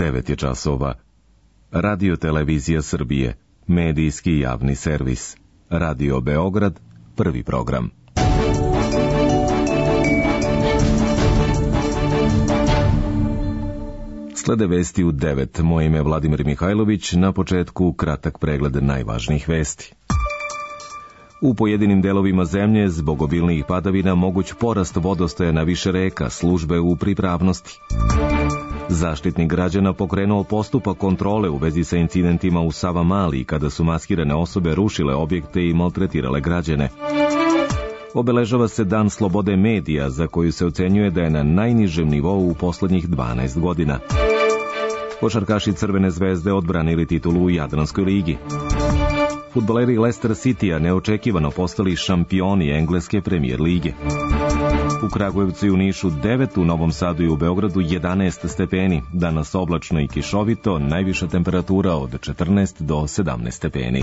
9 je časova. Radio Televizija Srbije, medijski javni servis. Radio Beograd, prvi program. Slede vesti u 9. Moje ime je Vladimir Mihajlović, na početku kratak pregled najvažnijih vesti. U pojedinim delovima zemlje zbog obilnijih padavina moguć porast vodostaja na više reka, službe u pripravnosti. Zaštitnik građana pokrenuo postupak kontrole u vezi sa incidentima u Savamali kada su maskirane osobe rušile objekte i maltretirale građane. Obeležava se Dan slobode medija, za koju se ocenjuje da je na najnižem nivou u poslednjih 12 godina. Košarkaši Crvene zvezde odbranili titulu u Jadranskoj ligi. Fudbaleri Leicester Citya neočekivano postali šampioni engleske premijer lige. U Kragujevcu i u Nišu 9, u Novom Sadu i u Beogradu 11 stepeni. Danas oblačno i kišovito, najviša temperatura od 14 do 17 stepeni.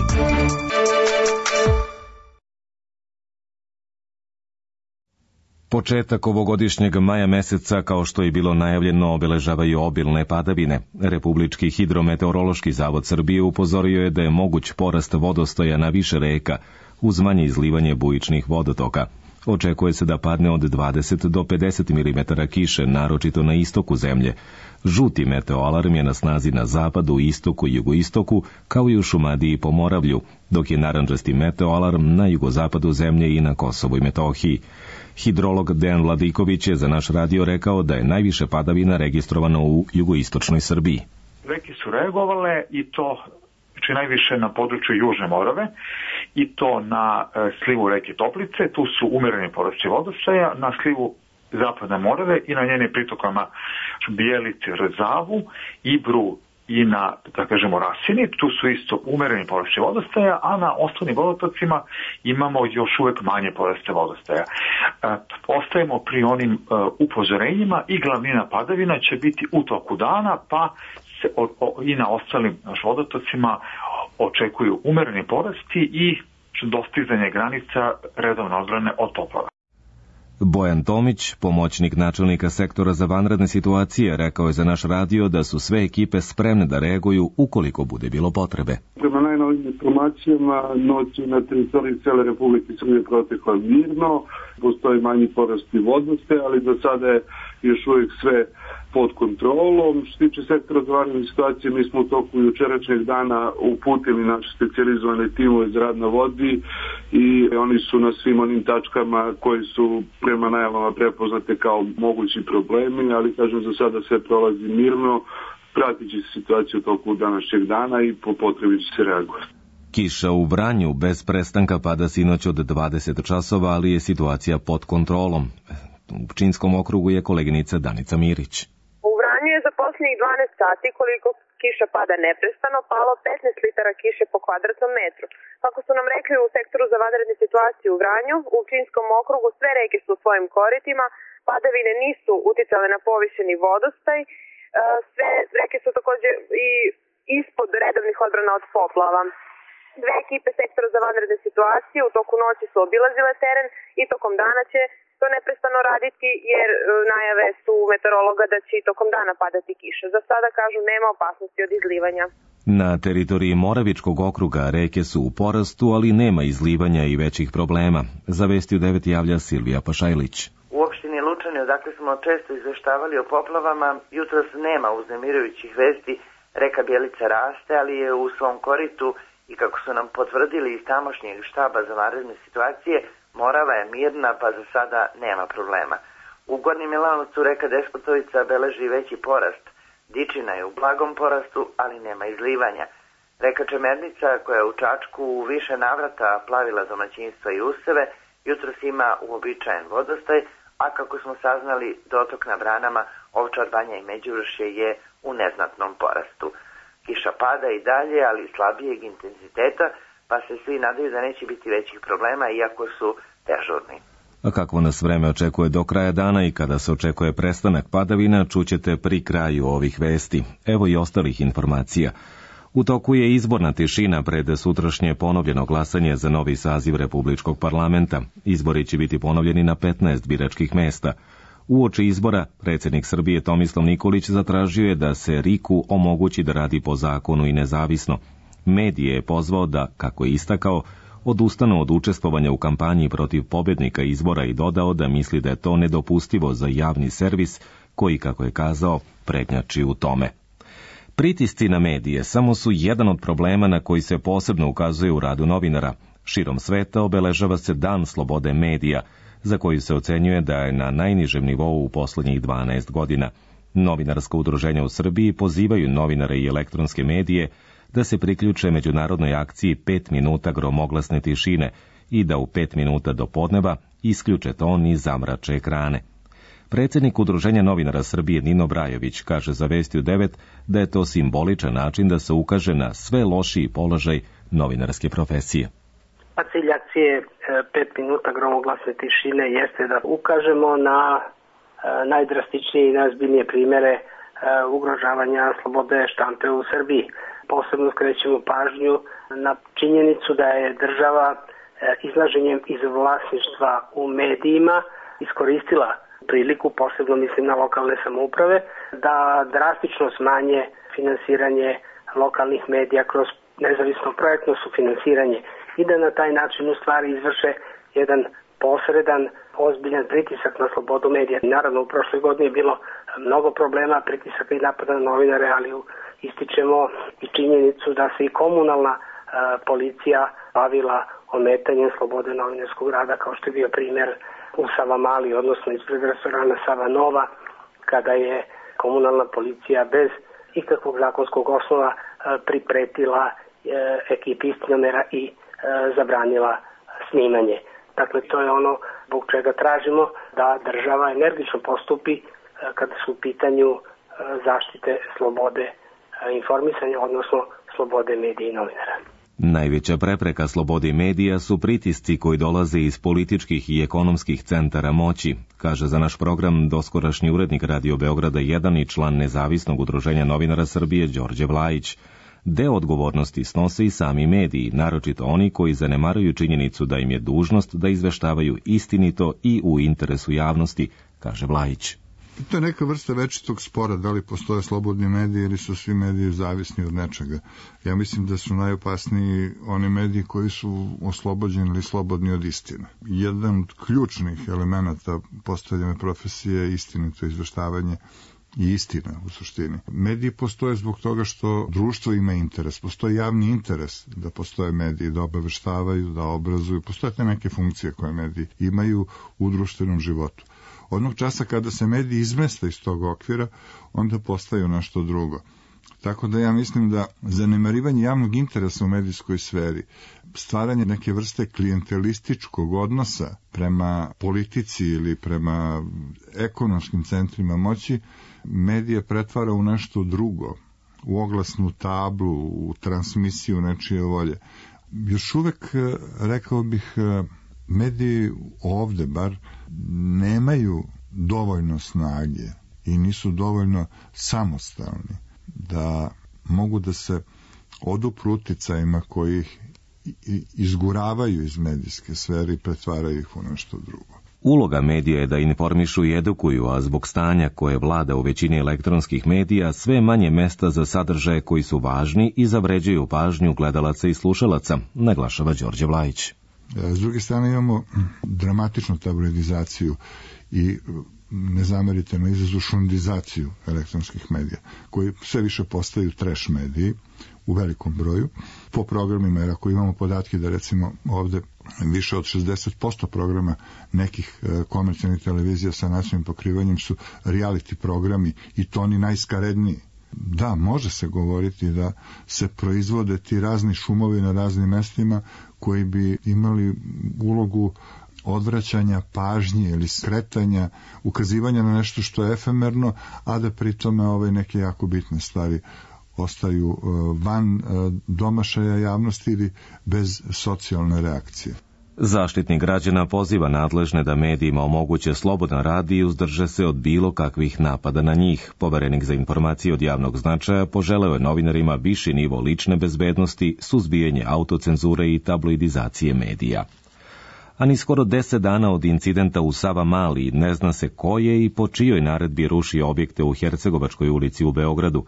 Početak ovogodišnjeg maja meseca, kao što je bilo najavljeno, obeležavaju obilne padavine. Republički hidrometeorološki zavod Srbije upozorio je da je moguć porast vodostaja na više reka, uz manje izlivanje bujičnih vodotoka. Očekuje se da padne od 20 do 50 mm kiše, naročito na istoku zemlje. Žuti meteoalarm je na snazi na zapadu, istoku i jugoistoku, kao i u Šumadiji i Pomoravlju, dok je narandžasti meteoalarm na jugozapadu zemlje i na Kosovu i Metohiji. Hidrolog Dejan Vladiković je za naš radio rekao da je najviše padavina registrovano u jugoistočnoj Srbiji. Reke su reagovale i to najviše na području Južne Morave i to na slivu reke Toplice, tu su umereni porasti vodostaja, na slivu Zapadne Morave i na njenim pritokama Bijelici, Rzavu, Ibru i na, da kažemo, Rasini, tu su isto umereni porasti vodostaja, a na ostalim vodotocima imamo još uvek manje poraste vodostaja. Ostajemo pri onim upozorenjima i glavnina padavina će biti u toku dana, pa se i na ostalim vodotocima očekuju umereni porasti i dostizanje granica redovne odbrane od poplava. Bojan Tomić, pomoćnik načelnika sektora za vanredne situacije, rekao je za naš radio da su sve ekipe spremne da reaguju ukoliko bude bilo potrebe. Prema najnovim informacijama, noć na teritoriji cele Republike Srbije protekla mirno, postoji manji porast vodostaja, ali za sada je još uvijek sve pod kontrolom. Što se tiče sektora za vanredne situacije, mi smo u toku jučerašnjeg dana uputili naše specijalizovane timove za rad na vodi i oni su na svim onim tačkama koji su prema najavama prepoznate kao mogući problemi, ali kažem za sada sve prolazi mirno, pratit će se situaciju u toku današnjeg dana i po potrebi će se reagovati. Kiša u Vranju bez prestanka pada sinoć od 20 časova, ali je situacija pod kontrolom. U Pčinjskom okrugu je koleginica Danica Mirić. U Vranju je za posljednjih 12 sati koliko kiša pada neprestano palo 15 litara kiše po kvadratnom metru. Kako su nam rekli u sektoru za vanredne situacije u Vranju, u Pčinjskom okrugu sve reke su u svojim koritima, padavine nisu uticale na povišeni vodostaj, sve reke su također i ispod redovnih odbrana od poplava. Dve ekipe sektora za vanredne situacije u toku noći su obilazile teren i tokom dana će to neprestano raditi jer najave su meteorologa da će i tokom dana padati kiša. Za sada kažu nema opasnosti od izlivanja. Na teritoriji Moravičkog okruga reke su u porastu, ali nema izlivanja i većih problema. Za Vesti u 9 javlja Silvija Pašajlić. U opštini Lučani, odakle smo često izveštavali o poplavama, jutros nema uznemirujućih vesti. Reka Bjelica raste, ali je u svom koritu i kako su nam potvrdili iz tamošnjeg štaba za vanredne situacije, Morava je mirna, pa za sada nema problema. U Gornjem Milanovcu reka Despotovica beleži veći porast. Dičina je u blagom porastu, ali nema izlivanja. Reka Čemernica, koja je u Čačku u više navrata plavila domaćinstva i useve, jutros ima uobičajen vodostaj, a kako smo saznali, dotok na branama Ovčar Banja i Međuvršje je u neznatnom porastu. Kiša pada i dalje, ali slabijeg intenziteta, pa se svi nadaju da neće biti većih problema, iako su dežurni. A kakvo nas vreme očekuje do kraja dana i kada se očekuje prestanak padavina, čućete pri kraju ovih vesti. Evo i ostalih informacija. U toku je izborna tišina pred sutrašnje ponovljeno glasanje za novi saziv Republičkog parlamenta. Izbori će biti ponovljeni na 15 biračkih mesta. Uoči izbora, predsjednik Srbije Tomislav Nikolić zatražio je da se RIK-u omogući da radi po zakonu i nezavisno. Medije je pozvao da, kako je istakao, odustanu od učestvovanja u kampanji protiv pobjednika izbora i dodao da misli da je to nedopustivo za javni servis koji, kako je kazao, prednjači u tome. Pritisci na medije samo su jedan od problema na koji se posebno ukazuje u radu novinara. Širom sveta obeležava se Dan slobode medija, za koju se ocenjuje da je na najnižem nivou u posljednjih 12 godina. Novinarska udruženja u Srbiji pozivaju novinare i elektronske medije da se priključe međunarodnoj akciji 5 minuta gromoglasne tišine i da u 5 minuta do podneva isključe ton i zamrače ekrane. Predsjednik Udruženja novinara Srbije Nino Brajović kaže za Vesti u 9 da je to simboličan način da se ukaže na sve lošiji položaj novinarske profesije. Cilj akcije 5 minuta gromoglasne tišine jeste da ukažemo na najdrastičnije i najozbiljnije primjere ugrožavanja slobode štampe u Srbiji. Posebno skrećemo pažnju na činjenicu da je država izlaženjem iz vlasništva u medijima iskoristila priliku, posebno mislim na lokalne samouprave, da drastično smanje finansiranje lokalnih medija kroz nezavisno projektno sufinansiranje i da na taj način u stvari izvrše jedan posredan, ozbiljan pritisak na slobodu medija. Naravno, u prošloj godini je bilo mnogo problema, pritisaka i napada na novinare, ali ističemo i činjenicu da se i komunalna policija bavila ometanjem slobode novinarskog rada, kao što je bio primjer u Savamali, odnosno ispred restorana Sava Nova, kada je komunalna policija bez ikakvog zakonskog osnova pripretila ekipi istinamera i zabranila snimanje. Dakle, to je ono zbog čega tražimo da država energično postupi kada su u pitanju zaštite slobode informisanja, odnosno slobode medija i novinara. Najveća prepreka slobodi medija su pritisci koji dolaze iz političkih i ekonomskih centara moći, kaže za naš program doskorašnji urednik Radio Beograda 1 i član Nezavisnog udruženja novinara Srbije Đorđe Vlajić. Deo odgovornosti snose i sami mediji, naročito oni koji zanemaruju činjenicu da im je dužnost da izveštavaju istinito i u interesu javnosti, kaže Vlajić. To je neka vrsta večitog spora, da li postoje slobodni mediji ili su svi mediji zavisni od nečega. Ja mislim da su najopasniji oni mediji koji su oslobođeni ili slobodni od istine. Jedan od ključnih elemenata postavljene profesije je istinito izveštavanje i istina u suštini. Mediji postoje zbog toga što društvo ima interes. Postoji javni interes da postoje mediji, da obaveštavaju, da obrazuju. Postoje te neke funkcije koje mediji imaju u društvenom životu. Onog časa kada se mediji izmeste iz tog okvira, onda postaju nešto drugo. Tako da ja mislim da zanemarivanje javnog interesa u medijskoj sferi, stvaranje neke vrste klijentelističkog odnosa prema politici ili prema ekonomskim centrima moći, medije pretvara u nešto drugo, u oglasnu tablu, u transmisiju nečije volje. Još uvek, rekao bih, mediji ovde bar nemaju dovoljno snage i nisu dovoljno samostalni da mogu da se odupru uticajima koji ih izguravaju iz medijske sfere i pretvaraju ih u nešto drugo. Uloga medija je da informišu i edukuju, a zbog stanja koje vlada u većini elektronskih medija sve manje mesta za sadržaje koji su važni i zavređuju pažnju gledalaca i slušalaca, naglašava Đorđe Vlajić. S druge strane imamo dramatičnu tabloidizaciju i ne zamerite na izrazu šundizaciju elektronskih medija, koji sve više postaju trash mediji u velikom broju. Po programima, jer ako imamo podatke da recimo ovde više od 60% programa nekih komercijalnih televizija sa nacionalnim pokrivanjem su reality programi i to oni najskaredniji. Da, može se govoriti da se proizvode ti razni šumovi na raznim mestima koji bi imali ulogu odvraćanja pažnje ili skretanja, ukazivanja na nešto što je efemerno, a da pri tome neke jako bitne stvari ostaju van domašaja javnosti ili bez socijalne reakcije. Zaštitnik građana poziva nadležne da medijima omoguće slobodan rad i uzdrže se od bilo kakvih napada na njih. Poverenik za informacije od javnog značaja poželeo je novinarima viši nivo lične bezbednosti, suzbijanje autocenzure i tabloidizacije medija. a ni skoro 10 dana od incidenta u Savamali ne zna se ko je i po čijoj naredbi ruši objekte u Hercegovačkoj ulici u Beogradu.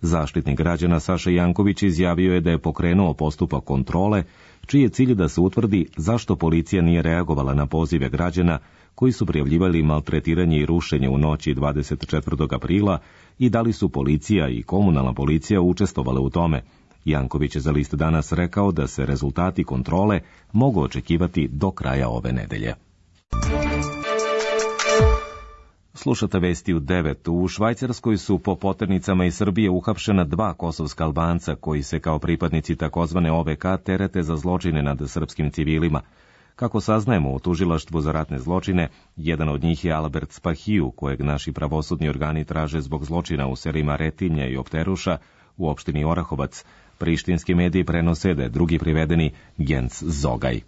Zaštitnik građana Saša Janković izjavio je da je pokrenuo postupak kontrole, čiji je cilj da se utvrdi zašto policija nije reagovala na pozive građana koji su prijavljivali maltretiranje i rušenje u noći 24. aprila i da li su policija i komunalna policija učestvovale u tome. Janković je za List Danas rekao da se rezultati kontrole mogu očekivati do kraja ove nedelje. Slušate vesti u 9. U Švajcarskoj su po poternicama iz Srbije uhapšena 2 kosovska Albanca koji se kao pripadnici takozvane OVK terete za zločine nad srpskim civilima. Kako saznajemo u tužilaštvu za ratne zločine, jedan od njih je Albert Spahiju, kojeg naši pravosudni organi traže zbog zločina u selima Retinje i Opteruša u opštini Orahovac. Prištinski mediji prenose da je drugi privedeni Genc Zogaj.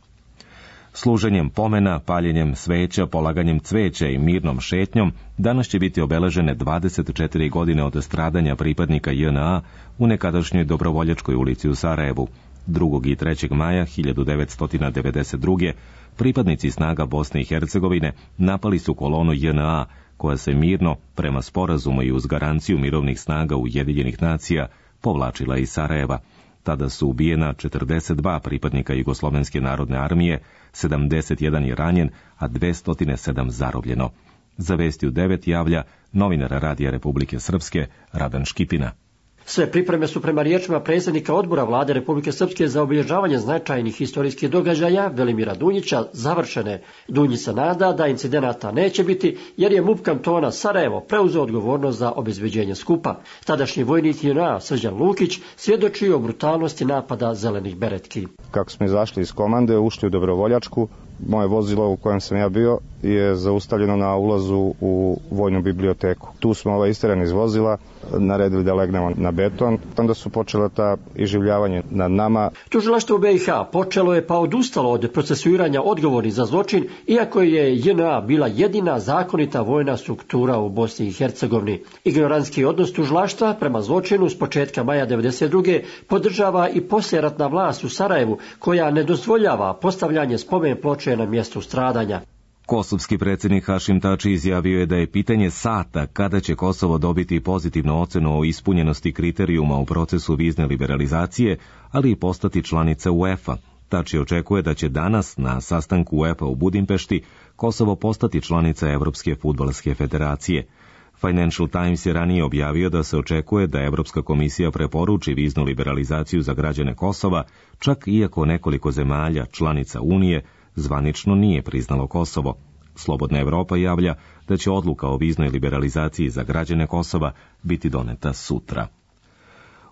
Služenjem pomena, paljenjem sveća, polaganjem cveća i mirnom šetnjom danas će biti obeležene 24 godine od stradanja pripadnika JNA u nekadašnjoj Dobrovoljačkoj ulici u Sarajevu. 2. i 3. maja 1992. pripadnici snaga Bosne i Hercegovine napali su kolonu JNA, koja se mirno, prema sporazumu i uz garanciju mirovnih snaga Ujedinjenih nacija, povlačila iz Sarajeva. Tada su ubijena 42 pripadnika Jugoslovenske narodne armije, 71 je ranjen, a 207 zarobljeno. Za vesti u 9 javlja novinar Radija Republike Srpske Radan Škipina. Sve pripreme su prema riječima predsjednika odbora Vlade Republike Srpske za obilježavanje značajnih historijskih događaja Velimira Dunjića završene. Dunjić se nada da incidenata neće biti jer je MUP kantona Sarajevo preuzeo odgovornost za obezbeđenje skupa. Tadašnji vojnik JNA Srđan Lukić svjedoči o brutalnosti napada zelenih beretki. Kako smo izašli iz komande, ušli u Dobrovoljačku, moje vozilo u kojem sam ja bio je zaustavljeno na ulazu u vojnu biblioteku. Tu smo isterani iz vozila, naredili da legnemo na beton, onda su počela ta iživljavanje nad nama. Tužilaštvo BiH počelo je pa odustalo od procesuiranja odgovornih za zločin, iako je JNA bila jedina zakonita vojna struktura u Bosni i Hercegovini. Ignorantski odnos tužilaštva prema zločinu s početka maja 1992. podržava i poslijeratna vlast u Sarajevu, koja ne dozvoljava postavljanje spomen ploče na mjestu stradanja. Kosovski predsjednik Hašim Tači izjavio je da je pitanje sata kada će Kosovo dobiti pozitivnu ocenu o ispunjenosti kriterijuma u procesu vizne liberalizacije, ali i postati članica UEFA. Tači očekuje da će danas na sastanku UEFA u Budimpešti Kosovo postati članica Evropske fudbalske federacije. Financial Times je ranije objavio da se očekuje da Evropska komisija preporuči viznu liberalizaciju za građane Kosova, čak iako nekoliko zemalja, članica Unije, zvanično nije priznalo Kosovo. Slobodna Evropa javlja da će odluka o viznoj liberalizaciji za građane Kosova biti doneta sutra.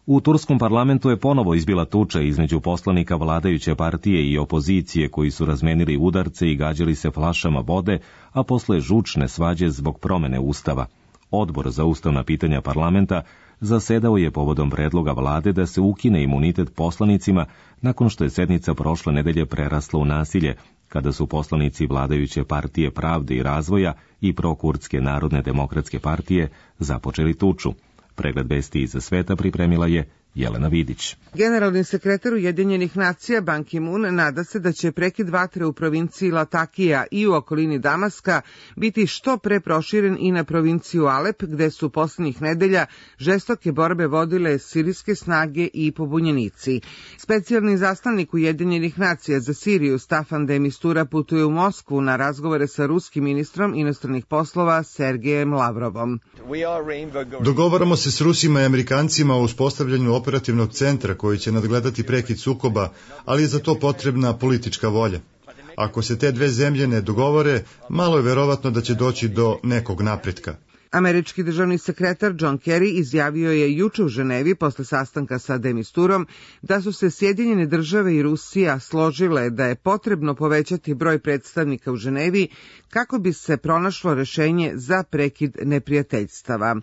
U turskom parlamentu je ponovo izbila tuča između poslanika vladajuće partije i opozicije koji su razmenili udarce i gađali se flašama vode, a posle žučne svađe zbog promene ustava. Odbor za ustavna pitanja parlamenta zasedao je povodom predloga vlade da se ukine imunitet poslanicima nakon što je sednica prošle nedelje prerasla u nasilje, kada su poslanici vladajuće partije Pravde i razvoja i prokurdske Narodne demokratske partije započeli tuču. Pregled vesti iz sveta pripremila je Jelena Vidić. Generalni sekretar Ujedinjenih nacija Ban Ki-moon nada se da će prekid vatre u provinciji Latakija i u okolini Damaska biti što pre proširen i na provinciju Alep, gde su poslednjih nedelja žestoke borbe vodile sirijske snage i pobunjenici. Specijalni zaslanik Ujedinjenih nacija za Siriju Staffan de Mistura putuje u Moskvu na razgovore sa ruskim ministrom inostranih poslova Sergejem Lavrovom. Dogovaramo se s Rusima i Amerikancima o uspostavljanju operativnog centra koji će nadgledati prekid sukoba, ali je za to potrebna politička volja. Ako se te dve zemlje ne dogovore, malo je verovatno da će doći do nekog napretka. Američki državni sekretar John Kerry izjavio je juče u Ženevi posle sastanka sa de Misturom da su se Sjedinjene države i Rusija složile da je potrebno povećati broj predstavnika u Ženevi kako bi se pronašlo rešenje za prekid neprijateljstava.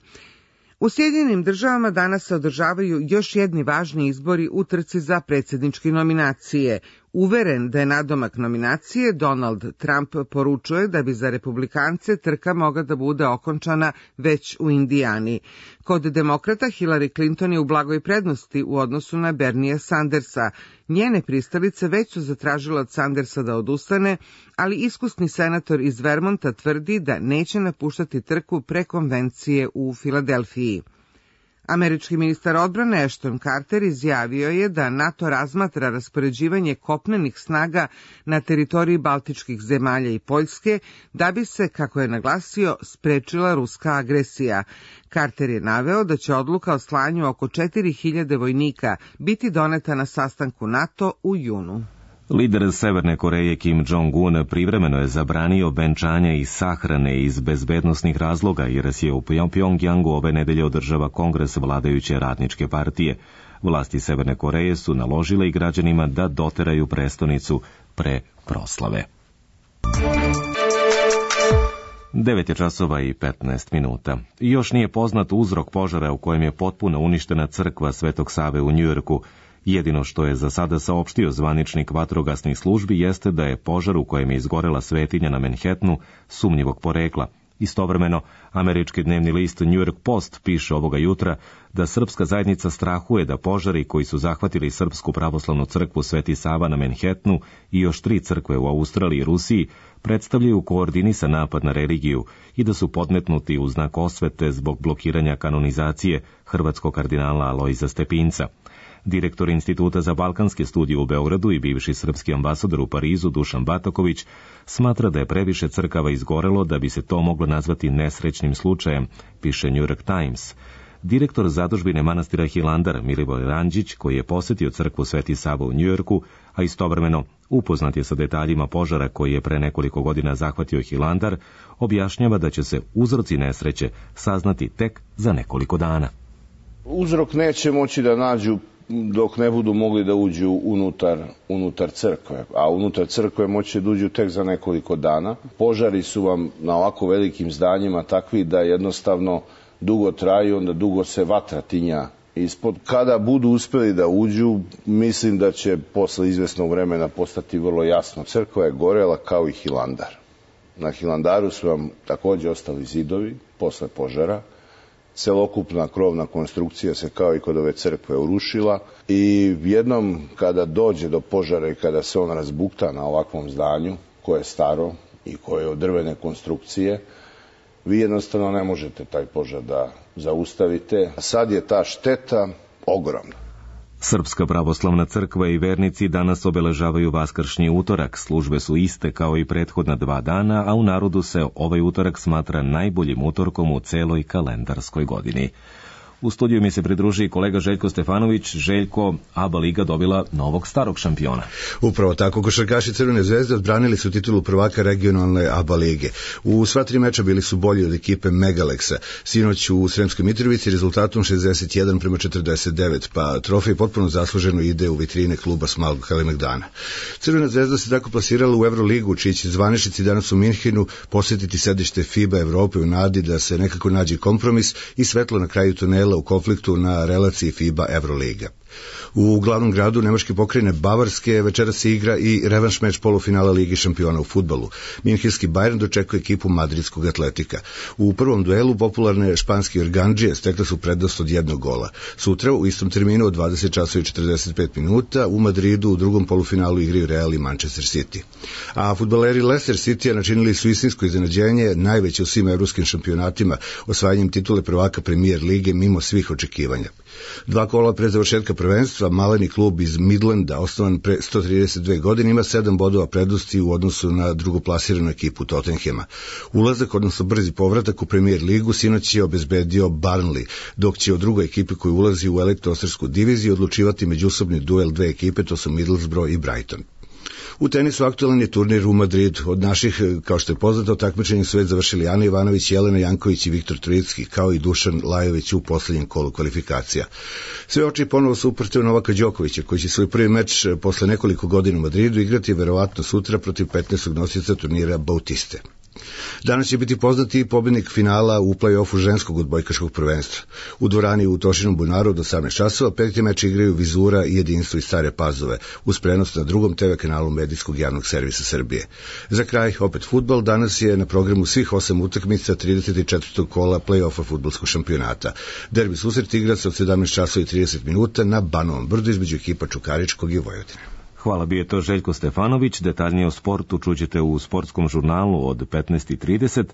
U Sjedinjenim državama danas se održavaju još jedni važni izbori u trci za predsjedničke nominacije. Uveren da je nadomak nominacije, Donald Trump poručuje da bi za republikance trka mogla da bude okončana već u Indijani. Kod demokrata Hillary Clinton je u blagoj prednosti u odnosu na Bernija Sandersa. Njene pristalice već su zatražile od Sandersa da odustane, ali iskusni senator iz Vermonta tvrdi da neće napuštati trku pre konvencije u Filadelfiji. Američki ministar odbrane Ashton Carter izjavio je da NATO razmatra raspoređivanje kopnenih snaga na teritoriji baltičkih zemalja i Poljske da bi se, kako je naglasio, sprečila ruska agresija. Carter je naveo da će odluka o slanju oko 4000 vojnika biti doneta na sastanku NATO u junu. Lider Severne Koreje Kim Jong-un privremeno je zabranio venčanje i sahrane iz bezbednosnih razloga jer se u Pjongjangu ove nedelje održava kongres vladajuće radničke partije. Vlasti Severne Koreje su naložile i građanima da doteraju prestonicu pre proslave. 9:15. Još nije poznat uzrok požara u kojem je potpuno uništena crkva Svetog Save u Njujorku. Jedino što je za sada saopštio zvaničnik vatrogasnih službi jeste da je požar u kojem je izgorela svetinja na Manhattanu sumnjivog porekla. Istovremeno, američki dnevni list New York Post piše ovoga jutra da srpska zajednica strahuje da požari koji su zahvatili Srpsku pravoslavnu crkvu Sveti Sava na Manhattanu i još 3 crkve u Australiji i Rusiji predstavljaju koordinisan napad na religiju i da su podmetnuti u znak osvete zbog blokiranja kanonizacije hrvatskog kardinala Alojza Stepinca. Direktor Instituta za balkanske studije u Beogradu i bivši srpski ambasador u Parizu Dušan Bataković smatra da je previše crkava izgorelo da bi se to moglo nazvati nesrećnim slučajem, piše New York Times. Direktor zadužbine manastira Hilandar Milivoj Ranđić, koji je posetio crkvu Sveti Sava u Njujorku, a istovremeno upoznat je sa detaljima požara koji je pre nekoliko godina zahvatio Hilandar, objašnjava da će se uzroci nesreće saznati tek za nekoliko dana. Uzrok neće moći da nađu dok ne budu mogli da uđu unutar crkve, a unutar crkve moći da uđu tek za nekoliko dana. Požari su vam na ovako velikim zdanjima takvi da jednostavno dugo traju, onda dugo se vatra tinja ispod. Kada budu uspeli da uđu, mislim da će posle izvesnog vremena postati vrlo jasno. Crkva je gorela kao i Hilandar. Na Hilandaru su vam takođe ostali zidovi posle požara. Celokupna krovna konstrukcija se kao i kod ove crkve urušila i jednom kada dođe do požara i kada se on razbukta na ovakvom zdanju koje je staro i koje je od drvene konstrukcije, vi jednostavno ne možete taj požar da zaustavite. Sad je ta šteta ogromna. Srpska pravoslavna crkva i vernici danas obeležavaju Vaskršnji utorak. Službe su iste kao i prethodna 2 dana, a u narodu se ovaj utorak smatra najboljim utorkom u celoj kalendarskoj godini. U studiju mi se pridruži kolega Željko Stefanović. Željko, ABA liga dobila novog starog šampiona. Upravo tako, košarkaši Crvene zvezde odbranili su titulu prvaka regionalne ABA lige. U sva 3 meča bili su bolji od ekipe Megaleksa. Sinoć u Sremskoj Mitrovici rezultatom 61-49, pa trofej potpuno zasluženo ide u vitrine kluba Smalog Kalemegdana. Crvena zvezda se tako plasirala u Euroligu, čiji će zvaničnici danas u Minhenu posjetiti sedište FIBA Evrope u nadi da se nekako nađe kompromis i svetlo na kraju tunela u konfliktu na relaciji FIBA Euroliga. U glavnom gradu nemačke pokrajine Bavarske večeras se igra i revanš meč polufinala Ligi šampiona u fudbalu. Minhenski Bayern dočekuje ekipu madridskog Atletika. U prvom duelu popularne španske organdžije stekle su prednost od 1 gola. Sutra u istom terminu od 20:45 u Madridu u drugom polufinalu igraju Real i Manchester City. A fudbaleri Leicester City načinili su istinsko iznenađenje, najveće u svim evropskim šampionatima, osvajanjem titule prvaka Premier lige mimo svih očekivanja. 2 kola pre završetka prvenstva, maleni klub iz Midlanda, osnovan pre 132 godine, ima 7 bodova prednosti u odnosu na drugoplasiranu ekipu Tottenhema. Ulazak, odnosno brzi povratak u Premier ligu, sinoć je obezbedio Burnley, dok će o drugoj ekipi koji ulazi u elektroastarsku diviziju odlučivati međusobni duel 2 ekipe, to su Middlesbrough i Brighton. U tenisu aktualan je turnir u Madridu. Od naših, kao što je poznato, takmičenje su već završili Ana Ivanović, Jelena Janković i Viktor Trojicki, kao i Dušan Lajović u posljednjem kolu kvalifikacija. Sve oči ponovo su uprte u Novaka Đokovića, koji će svoj prvi meč posle nekoliko godina u Madridu igrati verovatno sutra protiv 15. nosioca turnira Bautiste. Danas će biti poznati pobednik finala u play-offu ženskog odbojkaškog prvenstva. U dvorani u Tošinom bunaru od 18 časova peti meč igraju Vizura i Jedinstvo iz Stare Pazove, uz prenos na drugom TV kanalu Medijskog javnog servisa Srbije. Za kraj, opet fudbal, danas je na programu svih 8 utakmica 34. kola play-offa fudbalskog šampionata. Derbi susret igra se od 17 časova i 30 minuta na Banovom brdu između ekipa Čukaričkog i Vojvodine. Hvala, bio je to Željko Stefanović. Detaljnije o sportu čućete u sportskom žurnalu od 15:30,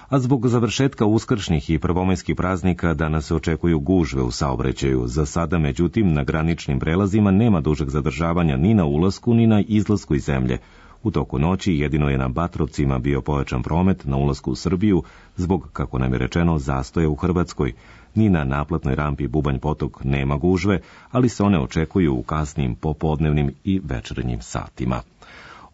a zbog završetka uskršnjih i prvomajskih praznika danas se očekuju gužve u saobraćaju. Za sada, međutim, na graničnim prelazima nema dužeg zadržavanja ni na ulasku ni na izlasku iz zemlje. U toku noći jedino je na Batrovcima bio pojačan promet na ulasku u Srbiju zbog, kako nam je rečeno, zastoja u Hrvatskoj. Ni na naplatnoj rampi Bubanj Potok nema gužve, ali se one očekuju u kasnim popodnevnim i večernjim satima.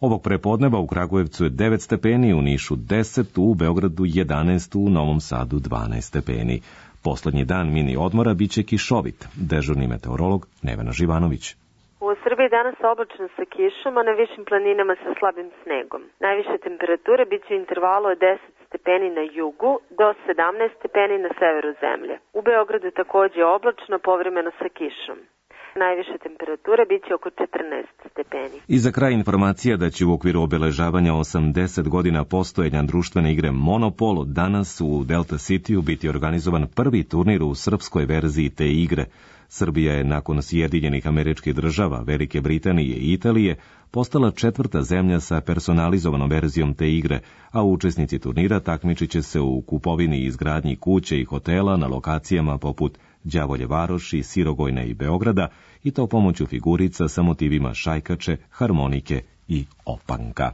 Ovog prepodneva u Kragujevcu je 9 stepeni, u Nišu 10, u Beogradu 11, u Novom Sadu 12 stepeni. Poslednji dan mini odmora biće kišovit. Dežurni meteorolog Nevena Živanović. U Srbiji danas oblačno sa kišom, a na višim planinama sa slabim snegom. Najviše temperature biće u intervalu od 10 stepeni na jugu do 17 stepeni na severu zemlje. U Beogradu takođe oblačno, povremeno sa kišom. Najviše temperature biće oko 14 stepeni. I za kraj informacija da će u okviru obeležavanja 80 godina postojanja društvene igre Monopol danas u Delta Cityu biti organizovan prvi turnir u srpskoj verziji te igre. Srbija je nakon Sjedinjenih Američkih Država, Velike Britanije i Italije postala 4. zemlja sa personalizovanom verzijom te igre, a učesnici turnira takmičit će se u kupovini i izgradnji kuće i hotela na lokacijama poput Đavolje Varoši, Sirogojne i Beograda, i to pomoću figurica sa motivima šajkače, harmonike i opanka.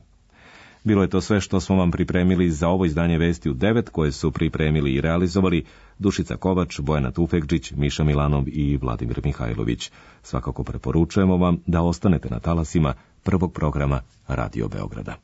Bilo je to sve što smo vam pripremili za ovo izdanje Vesti u 9, koje su pripremili i realizovali Dušica Kovač, Bojana Tufekđić, Miša Milanov i Vladimir Mihajlović. Svakako preporučujemo vam da ostanete na talasima prvog programa Radio Beograda.